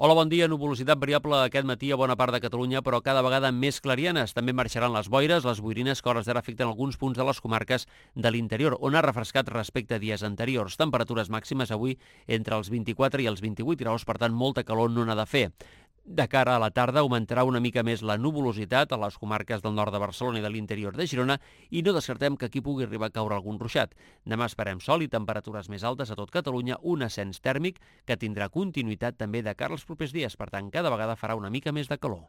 Hola, bon dia. Nuvolositat variable aquest matí a bona part de Catalunya, però cada vegada més clarianes. També marxaran les boires, les boirines que a hores d'ara afecten alguns punts de les comarques de l'interior, on ha refrescat respecte a dies anteriors. Temperatures màximes avui entre els 24 i els 28 graus, per tant, molta calor no n'ha de fer. De cara a la tarda augmentarà una mica més la nuvolositat a les comarques del nord de Barcelona i de l'interior de Girona i no descartem que aquí pugui arribar a caure algun ruixat. Demà esperem sol i temperatures més altes a tot Catalunya, un ascens tèrmic que tindrà continuïtat també de cara als propers dies. Per tant, cada vegada farà una mica més de calor.